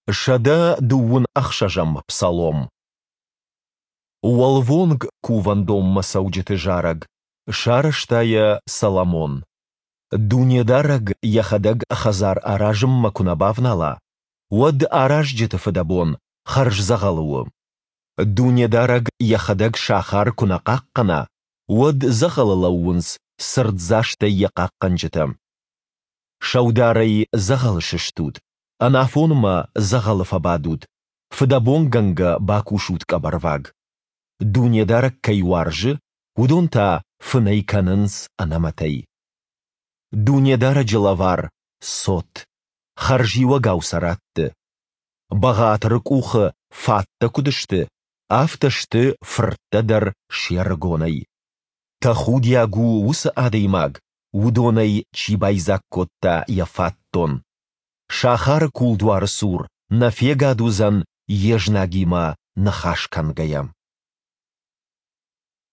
126-ӕм псалом. Уӕлвонг кувӕндонмӕ цӕуджыты зарӕг. Сарӕзта йӕ Соломон. Дунедарӕг Йӕхӕдӕг хӕдзар аразынмӕ куы нӕ бавнала, уӕд аразджыты фыдӕбон хӕрз дзӕгъӕлы у. Дунедарӕг Йӕхӕдӕг сахар куы нӕ хъахъхъӕна, уӕд дзӕгъӕлы лӕууынц цырддзастӕй йӕ хъахъхъӕнджытӕ. Сӕударӕй дзӕгъӕлы сыстут, ӕнафонмӕ дзӕгъӕлы фӕбадут, фыдӕбонгӕнгӕ бакусут къӕбӕрваг. Дунедарӕг кӕй уарзы, уыдон та фынӕй кӕнынц ӕнӕмӕтӕй. Дунедарӕджы лӕвар — цот, хӕрзиуӕгау сӕ ратты. Бӕгъатыры къухы фаттӕ куыд сты, афтӕ сты фырттӕ дӕр се рыгонӕй. Тӕхудиаг у уыцы адӕймаг, уыдонӕй чи байдзаг кодта йӕ фатдон. Сахары кулдуары цур нӕ фегад уыдзӕн йе знагимӕ ныхас кӕнгӕйӕ.